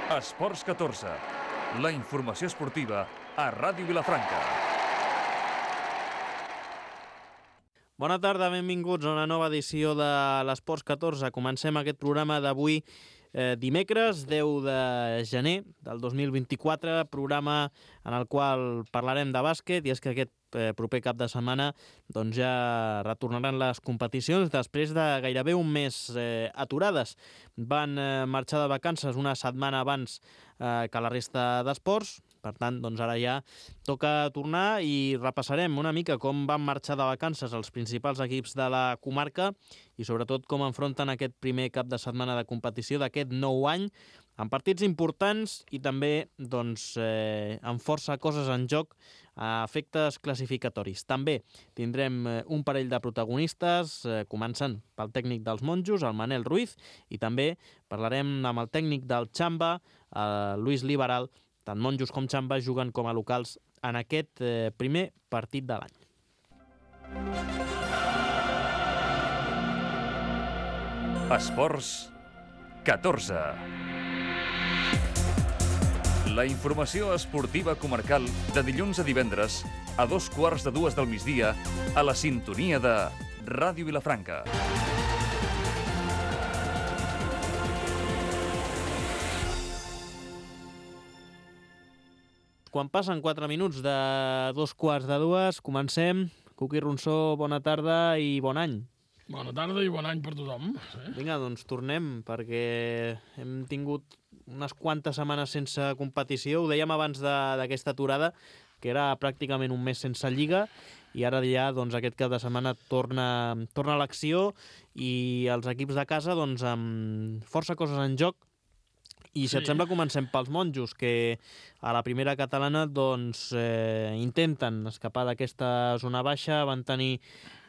Esports 14, la informació esportiva a Ràdio Vilafranca. Bona tarda, benvinguts a una nova edició de l'Esports 14. Comencem aquest programa d'avui dimecres, 10 de gener del 2024, programa en el qual parlarem de bàsquet, i és que aquest proper cap de setmana doncs ja retornaran les competicions després de gairebé un mes aturades. Van marxar de vacances una setmana abans que la resta d'esports. Per tant, doncs ara ja toca tornar i repassarem una mica com van marxar de vacances els principals equips de la comarca i sobretot com enfronten aquest primer cap de setmana de competició d'aquest nou any, amb partits importants i també doncs, amb força coses en joc a efectes classificatoris. També tindrem un parell de protagonistes, començant pel tècnic dels Monjos, el Manel Ruiz, i també parlarem amb el tècnic del Xamba, el Luis Liberal. Tant Monjos com Xamba juguen com a locals en aquest primer partit de l'any. Esports 14. La informació esportiva comarcal de dilluns a divendres a 2:15 del migdia a la sintonia de Ràdio Vilafranca. Quan passen 4 minuts de 2:15, comencem. Cuqui Ronsó, bona tarda i bon any. Bona tarda i bon any per tothom. Vinga, doncs tornem, perquè hem tingut unes quantes setmanes sense competició. Ho dèiem abans d'aquesta aturada, que era pràcticament un mes sense lliga, i ara ja doncs, aquest cap de setmana torna a l'acció i els equips de casa doncs, amb força coses en joc. I si et sembla, comencem pels Monjos, que a la primera catalana doncs, intenten escapar d'aquesta zona baixa. Van tenir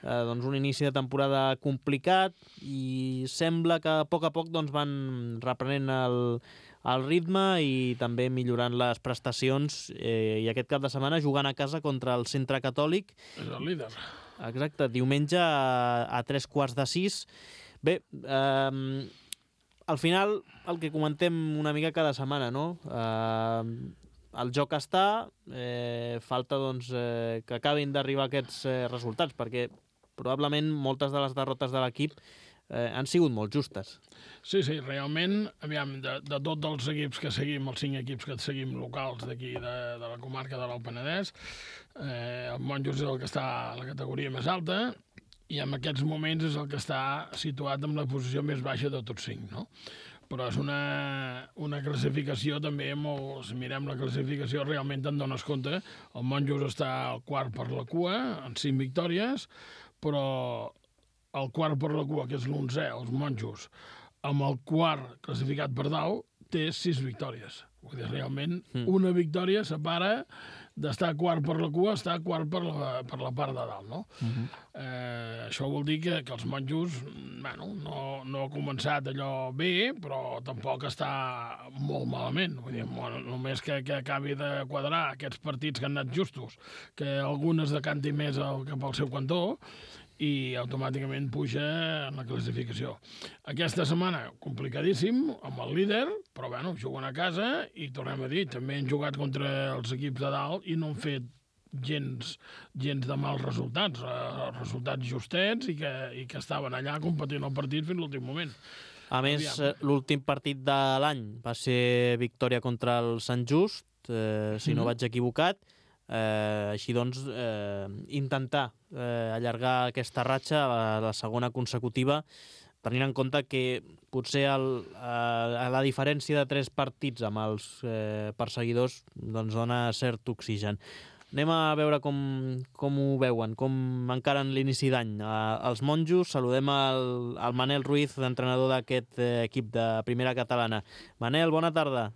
doncs, un inici de temporada complicat i sembla que a poc doncs, van reprenent el ritme i també millorant les prestacions. I aquest cap de setmana jugant a casa contra el Centre Catòlic. És el líder. Exacte, diumenge a 3:15. Bé, al final, el que comentem una mica cada setmana, no? El joc està, falta doncs, que acabin d'arribar aquests resultats, perquè probablement moltes de les derrotes de l'equip han sigut molt justes. Sí, realment, aviam, de tots els equips que seguim, els 5 equips que seguim locals d'aquí, de la comarca de l'Alt Penedès, el Monjos és el que està a la categoria més alta, i en aquests moments és el que està situat en la posició més baixa de tots 5, no? Però és una classificació també molt... Si mirem la classificació, realment te'n dones compte. El Monjos està al quart per la cua, amb 5 victòries, però el quart per la cua, que és l'11è, els Monjos, amb el quart classificat per dalt, té 6 victòries. Vull dir, realment, una victòria separa d'estar quart per la cua a estar quart per la part de dalt, no? Això vol dir que els Monjos, bueno, no ha començat allò bé, però tampoc està molt malament. Vull dir, només que acabi de quadrar aquests partits que han anat justos, que algunes decanti més cap al seu cantó, i automàticament puja en la classificació. Aquesta setmana, complicadíssim, amb el líder, però bueno, juguen a casa i tornem a dir, també han jugat contra els equips de dalt i no han fet gens de mals resultats, resultats justets i que estaven allà competint el partit fins l'últim moment. A més, l'últim partit de l'any va ser victòria contra el Sant Just, si no vaig equivocat. Així doncs, intentar allargar aquesta ratxa a la segona consecutiva, tenint en compte que potser la diferència de 3 partits amb els perseguidors doncs dona cert oxigen. Anem a veure com ho veuen, com encaren l'inici d'any. Els Monjos, saludem el Manel Ruiz, entrenador d'aquest equip de primera catalana. Manel, bona tarda.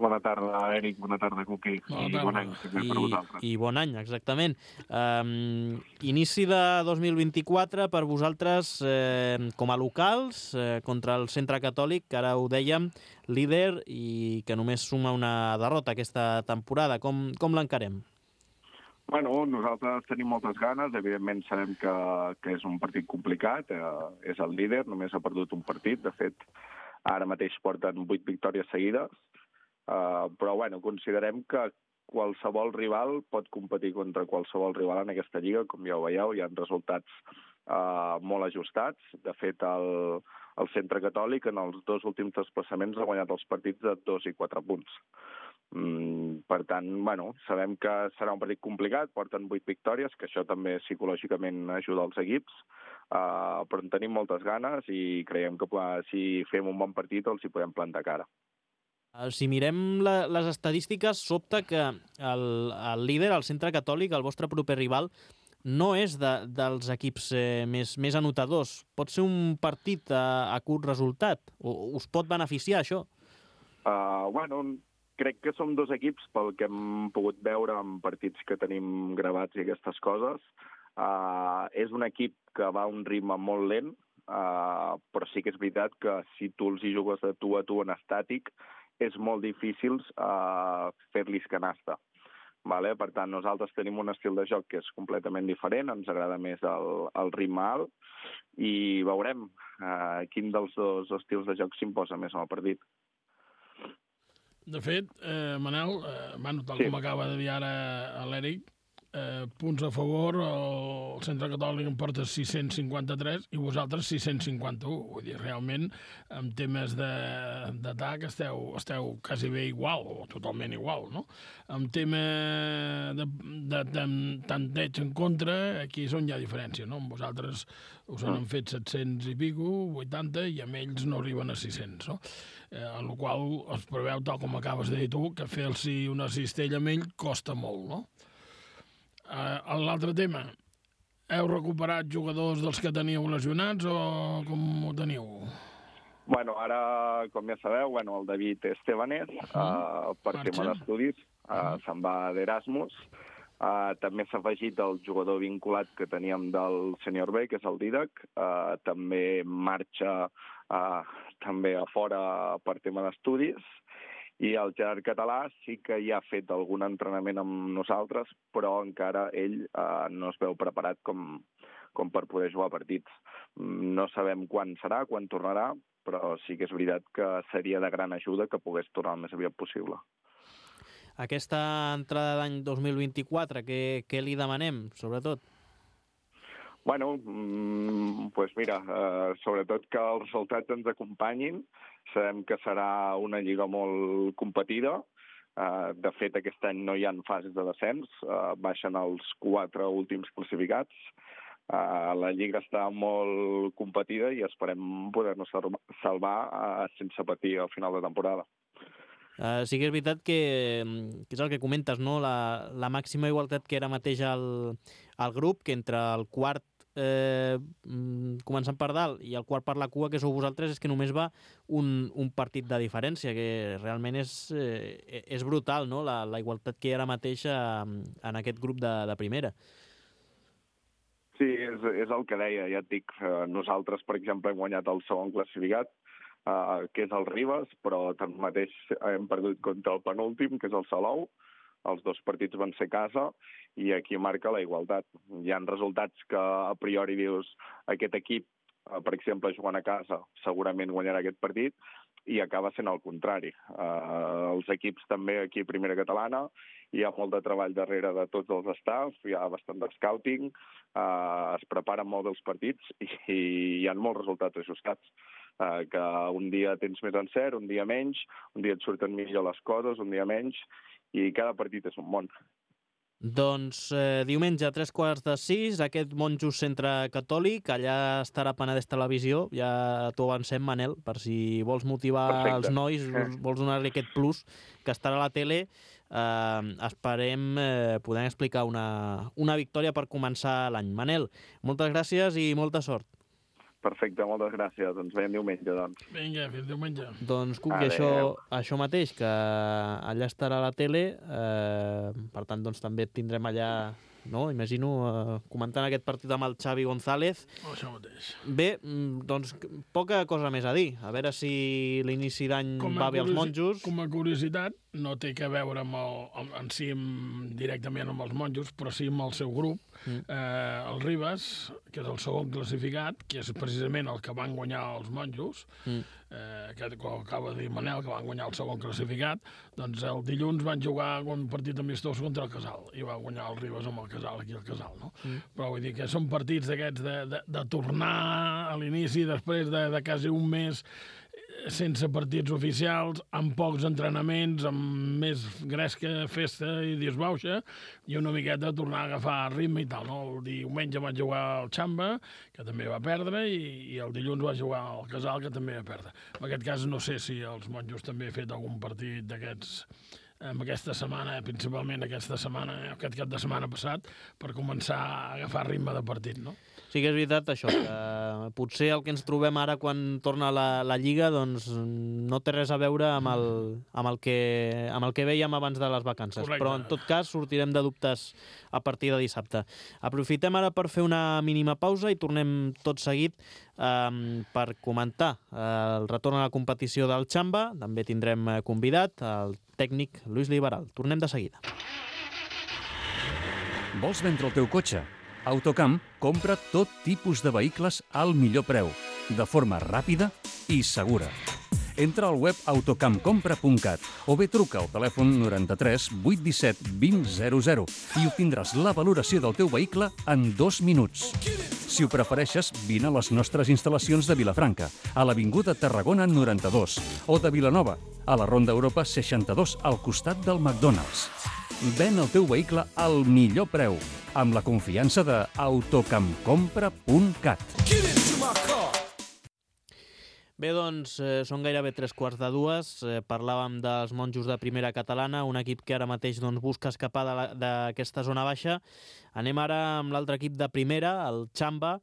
Bona tarda, Eric. Bona tarda, Cuqui. I bon any també per vosaltres. I bon any, exactament. Inici de 2024 per vosaltres com a locals contra el Centre Catòlic, que ara ho dèiem, líder i que només suma una derrota aquesta temporada. Com l'encarem? Bueno, nosaltres tenim moltes ganes. Evidentment sabem que és un partit complicat. És el líder, només ha perdut un partit. De fet, ara mateix porten 8 victòries seguides. Però bueno, considerem que qualsevol rival pot competir contra qualsevol rival en aquesta lliga, com ja ho veieu, hi ha resultats molt ajustats. De fet, el Centre Catòlic en els 2 últims desplaçaments ha guanyat els partits de 2 i 4 punts. Per tant, bueno, sabem que serà un partit complicat, porten 8 victòries, que això també psicològicament ajuda els equips, però en tenim moltes ganes i creiem que si fem un bon partit els hi podem plantar cara. Si mirem les estadístiques, sobta que el líder, el Centre Catòlic, el vostre proper rival, no és dels equips més anotadors. Pot ser un partit a curt resultat? Us pot beneficiar això? Bueno, crec que som 2 equips, pel que hem pogut veure en partits que tenim gravats i aquestes coses. És un equip que va a un ritme molt lent, però sí que és veritat que si tu els hi jugues de tu a tu en estàtic, és molt difícil fer-los canasta. Vale? Per tant, nosaltres tenim un estil de joc que és completament diferent, ens agrada més el ritme alt, i veurem quin dels 2 estils de joc s'imposa més en el partit. De fet, Manel, tal com acaba de dir ara l'Eric, punts a favor, el Centre Catòlic en porta 653 i vosaltres 651. Vull dir, realment, en temes d'atac esteu quasi bé igual, o totalment igual, no? En tema de tanteig en contra, aquí és on hi ha diferència, no? Amb vosaltres us han fet 700 i pico, 80, i amb ells no arriben a 600, no? En la qual es preveu, tal com acabes de dir tu, que fer-los una cistella amb ell costa molt, no? L'altre tema, heu recuperat jugadors dels que teníeu lesionats o com ho teniu? Bueno, ara, com ja sabeu, el David Estebanés, per tema d'estudis, se'n va d'Erasmus. També s'ha afegit el jugador vinculat que teníem del Senior B, que és el Didac. També marxa també a fora per tema d'estudis. I el Gerard Català sí que ja ha fet algun entrenament amb nosaltres, però encara ell no es veu preparat com per poder jugar partits. No sabem quan serà, quan tornarà, però sí que és veritat que seria de gran ajuda que pogués tornar el més aviat possible. Aquesta entrada d'any 2024, què li demanem, sobretot? Bueno, pues mira, sobretot que els resultats ens acompanyin. Sabem que serà una lliga molt competida. De fet, aquest any no hi ha fases de descens. Baixen els 4 últims classificats. La lliga està molt competida i esperem poder-nos salvar sense patir al final de temporada. Sí que és veritat que és el que comentes, no? La màxima igualtat que era mateix al grup, que entre el quart començant per dalt i el quart per la cua, que sou vosaltres, és que només va un partit de diferència, que realment és brutal, no? La igualtat que hi ha ara mateix en aquest grup de primera. Sí, és el que deia, ja et dic. Nosaltres, per exemple, hem guanyat el segon classificat, que és el Ribes, però tanmateix hem perdut contra el penúltim, que és el Salou. Els 2 partits van ser a casa i aquí marca la igualtat. Hi ha resultats que a priori dius aquest equip, per exemple, jugant a casa, segurament guanyarà aquest partit, i acaba sent el contrari. Els equips també aquí a Primera Catalana, hi ha molt de treball darrere de tots els staffs, hi ha bastant de scouting, es preparen molt els partits i hi ha molts resultats ajustats. Que un dia tens més encert, un dia menys, un dia et surten millor les coses, un dia menys, i cada partit és un món. Doncs diumenge a 5:45, aquest Monjos Centre Catòlic, allà estarà Penedès Televisió, ja t'ho avancem, Manel, per si vols motivar els nois, vols donar-li aquest plus, que estarà a la tele. Esperem poder explicar una victòria per començar l'any. Manel, moltes gràcies i molta sort. Perfecte, moltes gràcies. Ens veiem diumenge, doncs. Vinga, fins diumenge. Doncs, Cuc, i això mateix, que allà estarà a la tele, per tant, doncs, també et tindrem allà no? Imagino, comentant aquest partit amb el Xavi González. Això mateix. Bé, doncs poca cosa més a dir. A veure si l'inici d'any va bé als monjos. Com a curiositat, no té que veure directament amb els monjos, però sí amb el seu grup. El Ribes, que és el segon classificat, que és precisament el que van guanyar els monjos, que acaba de dir Manel, que van guanyar el segon classificat, doncs el dilluns van jugar un partit amistós contra el Casal, i va guanyar el Ribes amb el Casal, aquí al Casal, no? Però vull dir que són partits d'aquests de tornar a l'inici, després de quasi un mes sense partits oficials, amb pocs entrenaments, amb més gresca, festa i disbauxa, i una miqueta tornar a agafar ritme i tal, no? El diumenge van jugar al Xamba, que també va perdre, i el dilluns va jugar al Casal, que també va perdre. En aquest cas no sé si els monjos també han fet algun partit d'aquests aquesta setmana, principalment aquesta setmana, aquest cap de setmana passat, per començar a agafar ritme de partit, no? Sí que és veritat això, que potser el que ens trobem ara quan torna la Lliga doncs no té res a veure amb el que vèiem abans de les vacances. Correcte. Però en tot cas sortirem de dubtes a partir de dissabte. Aprofitem ara per fer una mínima pausa i tornem tot seguit per comentar el retorn a la competició del Xamba. També tindrem convidat el tècnic Lluís Liberal. Tornem de seguida. Vols vendre el teu cotxe? Autocamp compra tot tipus de vehicles al millor preu, de forma ràpida i segura. Entra al web autocampcompra.cat o bé truca al telèfon 93 817 2000 i obtindràs la valoració del teu vehicle en 2 minuts. Si ho prefereixes, vine a les nostres instal·lacions de Vilafranca, a l'Avinguda Tarragona 92, o de Vilanova, a la Ronda Europa 62, al costat del McDonald's. Ven el teu vehicle al millor preu, amb la confiança de autocampcompra.cat. Bé, doncs, són gairebé 3:45. Parlàvem dels monjos de primera catalana, un equip que ara mateix busca escapar d'aquesta zona baixa. Anem ara amb l'altre equip de primera, el Xamba,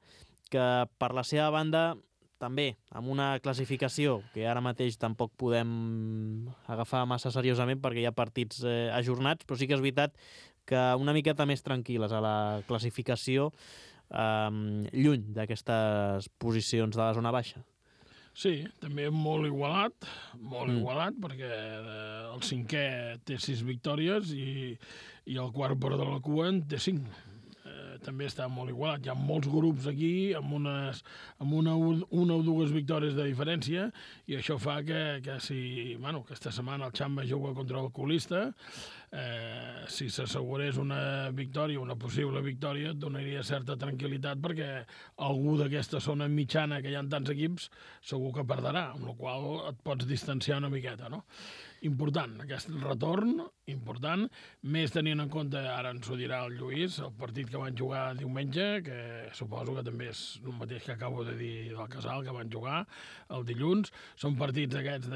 que per la seva banda també amb una classificació que ara mateix tampoc podem agafar massa seriosament perquè hi ha partits ajornats, però sí que és veritat que una miqueta més tranquil·les a la classificació, lluny d'aquestes posicions de la zona baixa. Sí, també molt igualat, perquè el cinquè té 6 victòries i el quart per de la cua en té 5. També està molt igualat. Hi ha molts grups aquí amb una o dues victòries de diferència i això fa que si aquesta setmana el Xamba juga contra el colista, si s'assegurés una victòria, una possible victòria, et donaria certa tranquil·litat perquè algú d'aquesta zona mitjana que hi ha tants equips segur que perdrà, amb la qual et pots distanciar una miqueta, no? Important, aquest retorn, important, més tenint en compte, ara ens ho dirà el Lluís, el partit que van jugar diumenge, que suposo que també és el mateix que acabo de dir del Casal, que van jugar el dilluns. Són partits aquests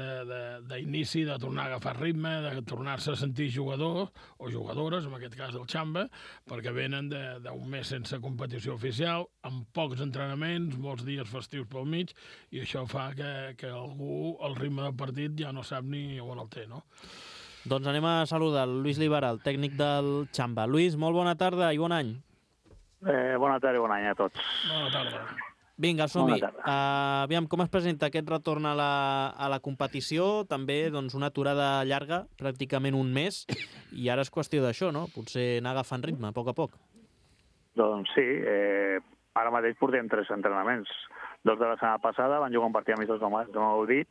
d'inici, de tornar a agafar ritme, de tornar-se a sentir jugadors o jugadores, en aquest cas del Xamba, perquè venen d'un mes sense competició oficial, amb pocs entrenaments, molts dies festius pel mig, i això fa que algú, el ritme del partit, ja no sap ni on el té, no? Doncs anem a saludar el Lluís Liberal, tècnic del Xamba. Lluís, molt bona tarda i bon any. Bona tarda i bon any a tots. Bona tarda. Vinga, som-hi. Aviam, com es presenta aquest retorn a la competició? També una aturada llarga, pràcticament un mes, i ara és qüestió d'això, no? Potser anar agafant ritme, a poc a poc. Doncs sí, ara mateix portem 3 entrenaments. 2 de la setmana passada, van jugar un partit amistós, no m'ho dit,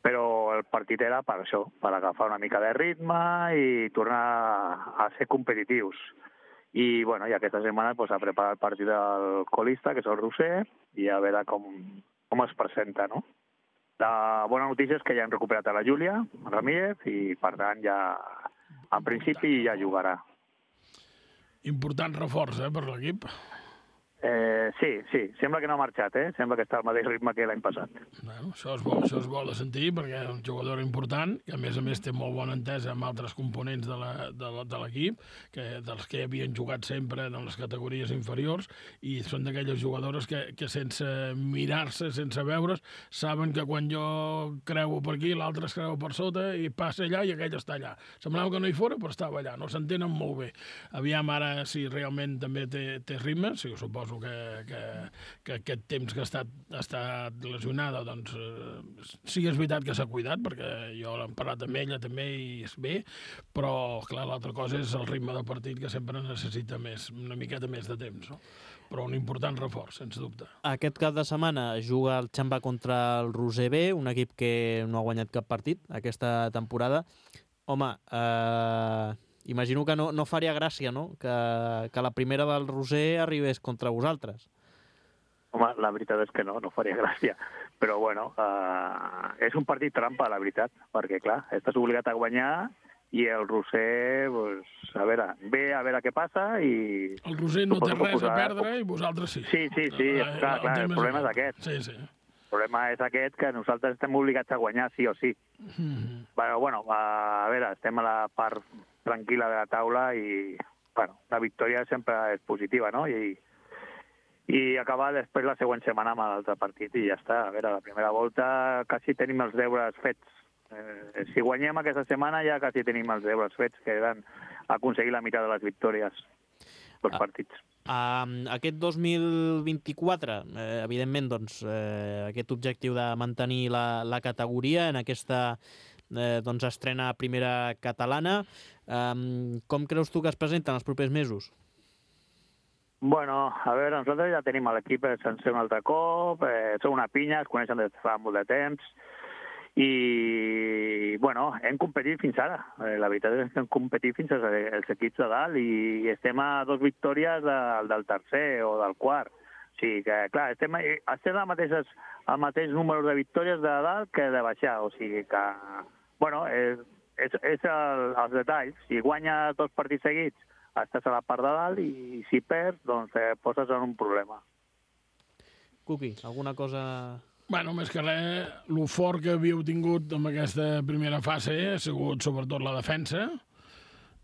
però el partit era per això, per agafar una mica de ritme i tornar a ser competitius. I aquesta setmana s'ha preparat el partit del colista, que és el Roser, i a veure com es presenta, no? La bona notícia és que ja han recuperat a la Júlia Ramírez i, per tant, ja en principi ja jugarà. Important reforç, per l'equip. Sí, sembla que no ha marxat, sembla que està al mateix ritme que l'any passat. Bueno, això és bo de sentir, perquè és un jugador important, que a més té molt bona entesa amb altres components de l'equip, dels que havien jugat sempre en les categories inferiors, i són d'aquelles jugadores que sense mirar-se, sense veure's, saben que quan jo creuo per aquí, l'altre es creu per sota, i passa allà i aquell està allà. Semblava que no hi fora, però estava allà, no s'entenen molt bé. Aviam ara si realment també té ritme, sí, suposo que aquest temps que ha estat lesionada, doncs sí que és veritat que s'ha cuidat, perquè jo l'he parlat amb ella també i és bé, però clar, l'altra cosa és el ritme de partit, que sempre necessita una miqueta més de temps, no? Però un important reforç, sens dubte. Aquest cap de setmana juga el Xamba contra el Roser B, un equip que no ha guanyat cap partit aquesta temporada. Home, imagino que no faria gràcia, no?, que la primera del Roser arribés contra vosaltres. Home, la veritat és que no faria gràcia. Però, bueno, és un partit trampa, la veritat, perquè, clar, estàs obligat a guanyar i el Roser, pues, a veure què passa i... El Roser no té res a perdre i vosaltres sí. Sí, clar, el problema és aquest. Sí. El problema és aquest, que nosaltres estem obligats a guanyar sí o sí. Bueno, a veure, estem a la part tranquil·la de la taula i, bueno, la victòria sempre és positiva, no? I acabar després la següent setmana amb l'altre partit i ja està. A veure, la primera volta quasi tenim els deures fets. Si guanyem aquesta setmana ja quasi tenim els deures fets, que eren aconseguir la meitat de les victòries dels partits. Aquest 2024, evidentment, doncs, aquest objectiu de mantenir la categoria en aquesta estrena primera catalana, com creus tu que es presenta en els propers mesos? Bueno, a veure, nosaltres ja tenim l'equip sencer un altre cop, són una pinya, es coneixen des de fa molt de temps, i, bueno, hem competit fins ara. La veritat és que hem competit fins als equips de dalt i estem a 2 victòries del tercer o del quart. O sigui que, clar, estem al mateix número de victòries de dalt que de baixar. O sigui que, bueno, és els detalls. Si guanya 2 partits seguits, estàs a la part de dalt i si perds, doncs poses en un problema. Cuqui, alguna cosa... Bueno, més que res, el fort que havíeu tingut en aquesta primera fase ha sigut sobretot la defensa,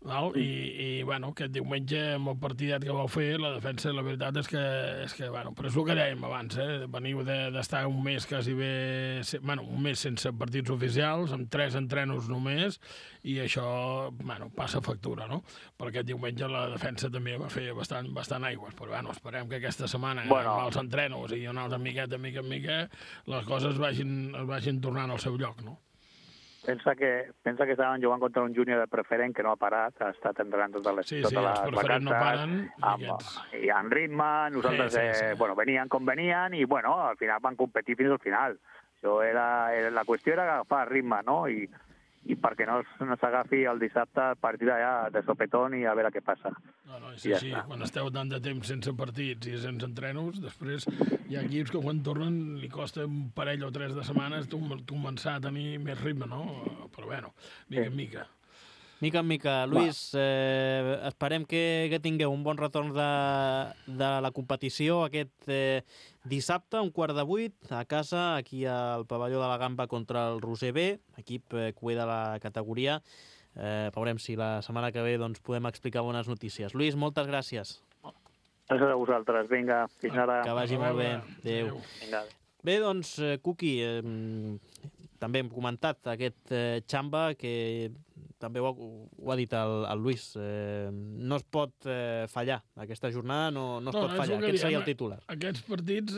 val? I bueno, aquest diumenge, amb el partidet que vau fer, la defensa, la veritat és que bueno, però és el que dèiem abans, veniu d'estar un mes quasi bé, bueno, un mes sense partits oficials, amb 3 entrenos només, i això, bueno, passa factura, no? Perquè aquest diumenge la defensa també va fer bastant aigües, però bueno, esperem que aquesta setmana, amb els entrenos i una altra miqueta, mica en mica, les coses vagin tornant al seu lloc, no? Pensa que estaven jugant contra un júnior de preferent que no ha parat, ha estat entrenant totes les vacances. Sí, els preferents no paren. I en ritme, nosaltres bueno, venien com venien i, bueno, al final van competir fins al final. La qüestió era agafar ritme, no? I perquè no s'agafi el dissabte el partit allà de sopetón i a veure què passa. No, és així. Quan esteu tant de temps sense partits i sense entrenos, després hi ha equips que quan tornen li costa un parell o 3 de setmanes començar a tenir més ritme, no? Però bueno, mica en mica. Mica en mica. Lluís, esperem que tingueu un bon retorn de la competició aquest dissabte, 7:15, a casa, aquí al pavelló de la Gamba contra el Roser B, equip cué de la categoria. Veurem si la setmana que ve podem explicar bones notícies. Lluís, moltes gràcies. Gràcies a vosaltres. Vinga, fins ara. Que vagi molt bé. Adéu. Bé, doncs, Cuqui, també hem comentat aquest Xamba que també ho ha dit el Lluís, no es pot fallar. Aquesta jornada no es pot fallar. Aquest seria el titular. Aquests partits,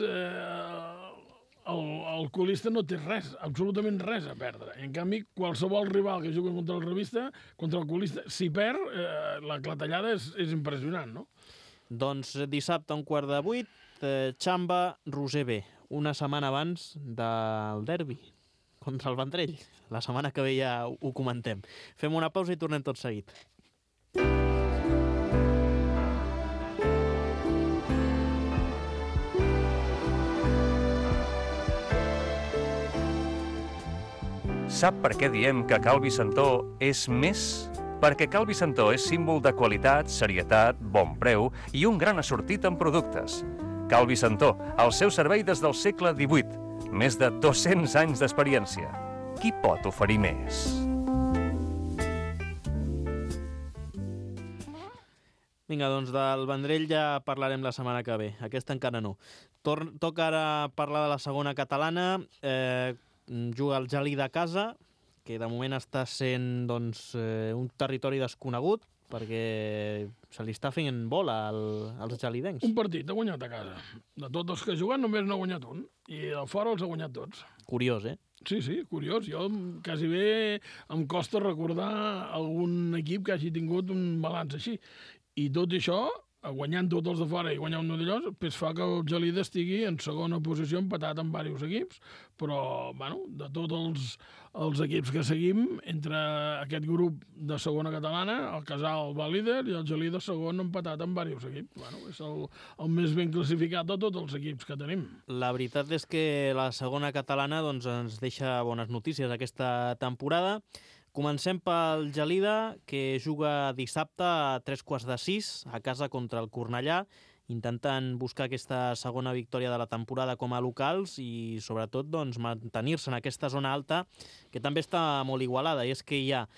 el colista no té res, absolutament res a perdre. En canvi, qualsevol rival que jugui contra el revista, contra el colista, si perd, la clatellada és impressionant, no? Doncs dissabte, 7:15, Xamba, Roser B, una setmana abans del derbi contra el Vendrell. La setmana que ve ja ho comentem. Fem una pausa i tornem tot seguit. Sap per què diem que Cal Vicentó és més? Perquè Cal Vicentó és símbol de qualitat, serietat, bon preu i un gran assortit en productes. Cal Vicentó, al seu servei des del segle XVIII. Més de 200 anys d'experiència. Qui pot oferir més? Vinga, doncs del Vendrell ja parlarem la setmana que ve. Aquesta encara no. Toca ara parlar de la segona catalana. Juga el Gelida a casa, que de moment està sent doncs, un territori desconegut, perquè se li està fent bola als gelidencs. Un partit ha guanyat a casa. De tots els que juguen només n'ha guanyat un. I de fora els ha guanyat tots. Curiós, Sí, curiós. Jo quasi bé em costa recordar algun equip que hagi tingut un balanç així. I tot això, guanyant tots els de fora i guanyant un d'allò, pues fa que el Gelida estigui en segona posició empatat amb diversos equips, però, bueno, de tots els equips que seguim, entre aquest grup de segona catalana, el Casal va líder i el Gelida segon empatat amb diversos equips. Bueno, és el més ben classificat de tots els equips que tenim. La veritat és que la segona catalana doncs, ens deixa bones notícies aquesta temporada. Comencem pel Gelida, que juga dissabte a 5:45 a casa contra el Cornellà, intentant buscar aquesta segona victòria de la temporada com a locals i, sobretot, doncs, mantenir-se en aquesta zona alta, que també està molt igualada. I és que hi ha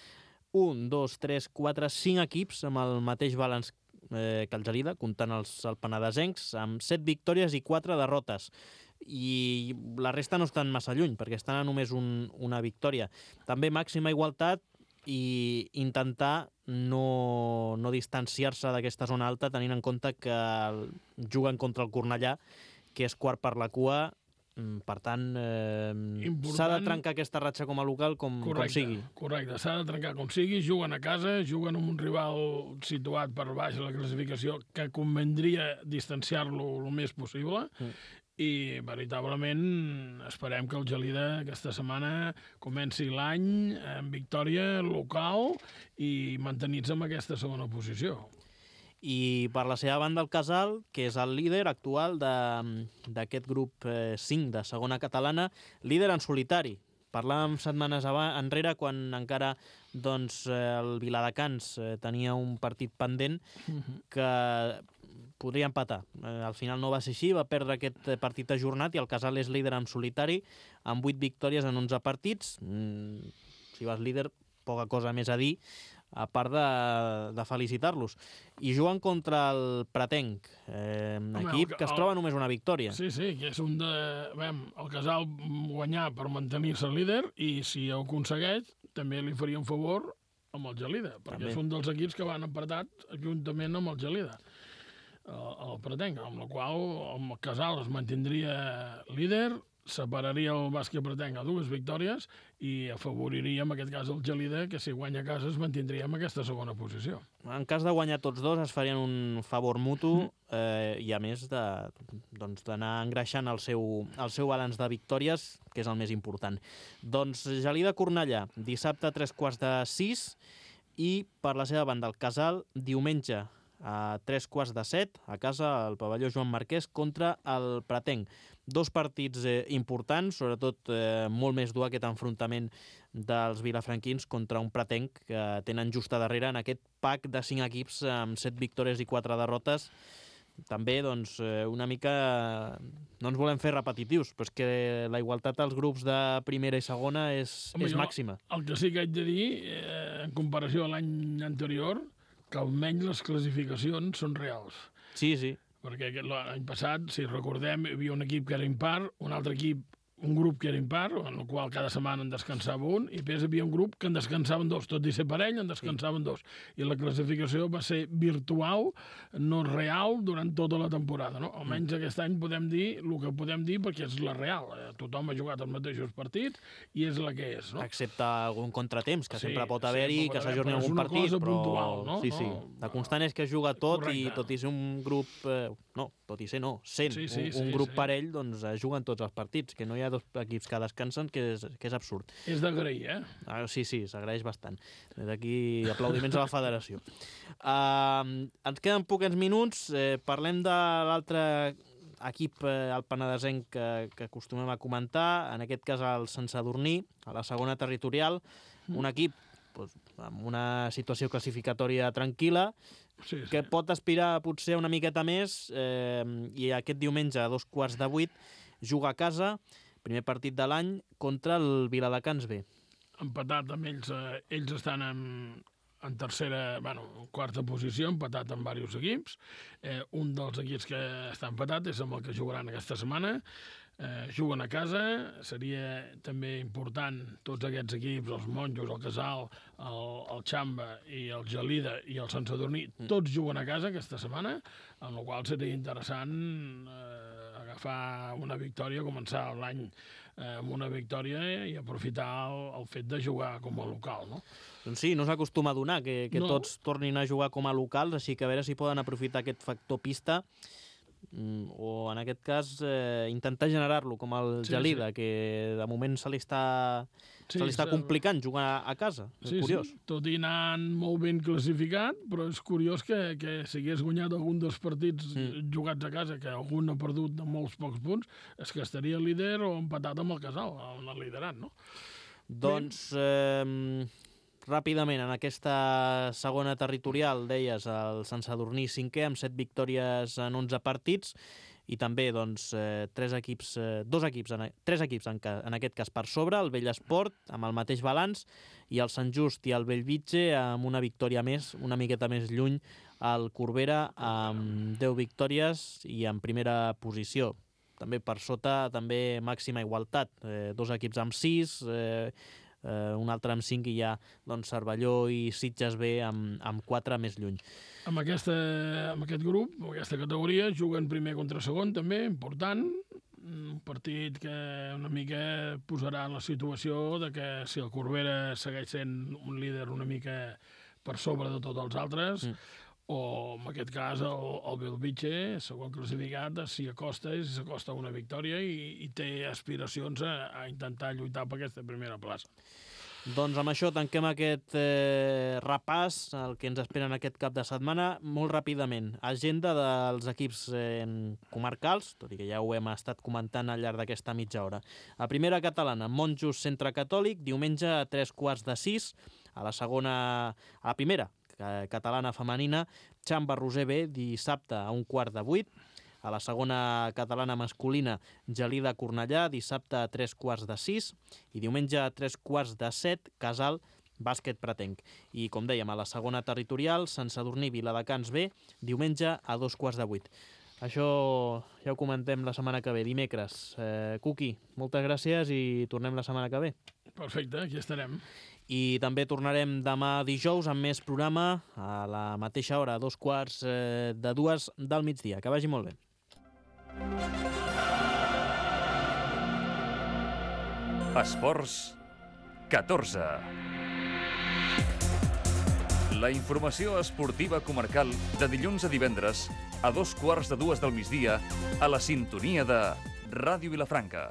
1, 2, 3, 4, 5 equips amb el mateix balanç que el Gelida, comptant els penedesencs, amb 7 victòries i 4 derrotes. I la resta no estan massa lluny, perquè estan a només una victòria. També màxima igualtat i intentar no distanciar-se d'aquesta zona alta, tenint en compte que juguen contra el Cornellà, que és quart per la cua. Per tant, s'ha de trencar aquesta ratxa com a local com sigui. Correcte, s'ha de trencar com sigui. Juguen a casa, juguen amb un rival situat per baix a la classificació, que convendria distanciar-lo el més possible. I, veritablement, esperem que el Gelida aquesta setmana comenci l'any en victòria local i mantenir-se en aquesta segona posició. I per la seva banda el Casal, que és el líder actual d'aquest grup 5 de segona catalana, líder en solitari. Parlàvem setmanes enrere, quan encara el Viladecans tenia un partit pendent que podria empatar. Al final no va ser així, va perdre aquest partit ajornat i el Casal és líder en solitari, amb 8 victòries en 11 partits. Si vas líder, poca cosa més a dir, a part de felicitar-los. I juguen contra el Pretenc, equip que es troba només una victòria. Sí, que és el Casal guanyar per mantenir-se líder, i si ho aconsegueix, també li faria un favor amb el Gelida, perquè és un dels equips que van empatats juntament amb el Gelida, el Pretenc, amb la qual el Casal es mantindria líder, separaria el Bàsquet Pretenc a 2 victòries i afavoriria, en aquest cas, el Gelida, que si guanya a casa es mantindria en aquesta segona posició. En cas de guanyar tots dos es farien un favor mutu i, a més, d'anar engreixant el seu balanç de victòries, que és el més important. Doncs Gelida-Cornellà, dissabte a 5:45, i per la seva banda el Casal, diumenge a 5:45 a casa al pavelló Joan Marquès contra el Pretenc. 2 partits importants, sobretot molt més dur aquest enfrontament dels vilafranquins contra un Pretenc que tenen just a darrere en aquest pack de 5 equips amb 7 victòries i 4 derrotes. També, una mica no ens volem fer repetitius, però és que la igualtat als grups de primera i segona és màxima. El que sí que haig de dir, en comparació a l'any anterior, que almenys les classificacions són reals. Sí. Perquè l'any passat, si recordem, hi havia un equip que era impar, un altre equip, un grup que era impar, en el qual cada setmana en descansava un, i després hi havia un grup que en descansaven 2, tot i ser parell, en descansaven 2. I la classificació va ser virtual, no real, durant tota la temporada. No? Almenys aquest any podem dir el que podem dir, perquè és la real. Tothom ha jugat els mateixos partits i és la que és. No? Excepte algun contratemps, que sempre pot haver-hi, que s'ajorni algun partit, però... puntual, no? Sí. La constant és que es juga tot. Correcte. I tot i ser un grup... sent un grup parell, doncs juguen tots els partits, que no hi ha 2 equips que descansen, que és absurd. És d'agrair, Sí, s'agraeix bastant. D'aquí aplaudiments a la federació. Ens queden pocs minuts, parlem de l'altre equip, el penedesenc, que acostumem a comentar, en aquest cas el Sant Sadurní, a la segona territorial, un equip amb una situació classificatòria tranquil·la, que pot aspirar potser una miqueta més, i aquest diumenge a 7:15 juga a casa, primer partit de l'any, contra el Viladecans B. Empatat amb ells, ells estan en tercera, quarta posició, empatat amb diversos equips. Un dels equips que està empatat és amb el que jugaran aquesta setmana. Juguen a casa, seria també important tots aquests equips, els Monjos, el Casal, el Xamba i el Gelida i el Sant Sadurní, tots juguen a casa aquesta setmana, amb la qual seria interessant agafar una victòria, començar l'any amb una victòria i aprofitar el fet de jugar com a local, no? Doncs sí, no s'acostuma a donar que tots tornin a jugar com a locals, així que a veure si poden aprofitar aquest factor pista o en aquest cas intentar generar-lo com el Gelida, que de moment se li està complicant jugar a casa. És curiós. Sí. Tot i anant molt ben classificat, però és curiós que si hagués guanyat algun dels partits jugats a casa, que algun ha perdut de molts pocs punts, és que estaria líder o empatat amb el Casal, on el liderat, no? Doncs ràpidament, en aquesta segona territorial, deies, el Sant Sadurní 5è, amb 7 victòries en 11 partits, i també doncs, 3 equips en aquest cas per sobre, el Bellesport, amb el mateix balanç, i el Sant Just i el Bellvitge amb una victòria més, una miqueta més lluny, el Corbera amb 10 victòries i en primera posició. També per sota, també màxima igualtat, 2 equips amb 6, un altre amb 5 i hi ha Cervelló i Sitges B amb 4 més lluny. Amb aquest grup, amb aquesta categoria, juguen primer contra segon també, important, un partit que una mica posarà en la situació de que si el Corbera segueix sent un líder una mica per sobre de tots els altres, o en aquest cas el Bellvitge, segon classificat, s'hi acosta una victòria i té aspiracions a intentar lluitar per aquesta primera plaça. Doncs amb això tanquem aquest repàs, el que ens espera en aquest cap de setmana. Molt ràpidament, agenda dels equips comarcals, tot i que ja ho hem estat comentant al llarg d'aquesta mitja hora. A primera catalana, Monjos Centre Catòlic, diumenge a 5:45, a la primera catalana femenina, Xamba Roser B, dissabte a 7:15, a la segona catalana masculina, Gelida Cornellà, dissabte a 5:45, i diumenge a 5:45, Casal Bàsquet Pratenc. I, com dèiem, a la segona territorial, Sant Sadurní Viladecans B, diumenge a 7:15. Això ja ho comentem la setmana que ve, dimecres. Cuqui, moltes gràcies i tornem la setmana que ve. Perfecte, aquí estarem. I també tornarem demà dijous amb més programa a la mateixa hora, a 2:15 del migdia. Que vagi molt bé. Esports 14. La informació esportiva comarcal de dilluns a divendres a 2:15 del migdia a la sintonia de Ràdio Vilafranca.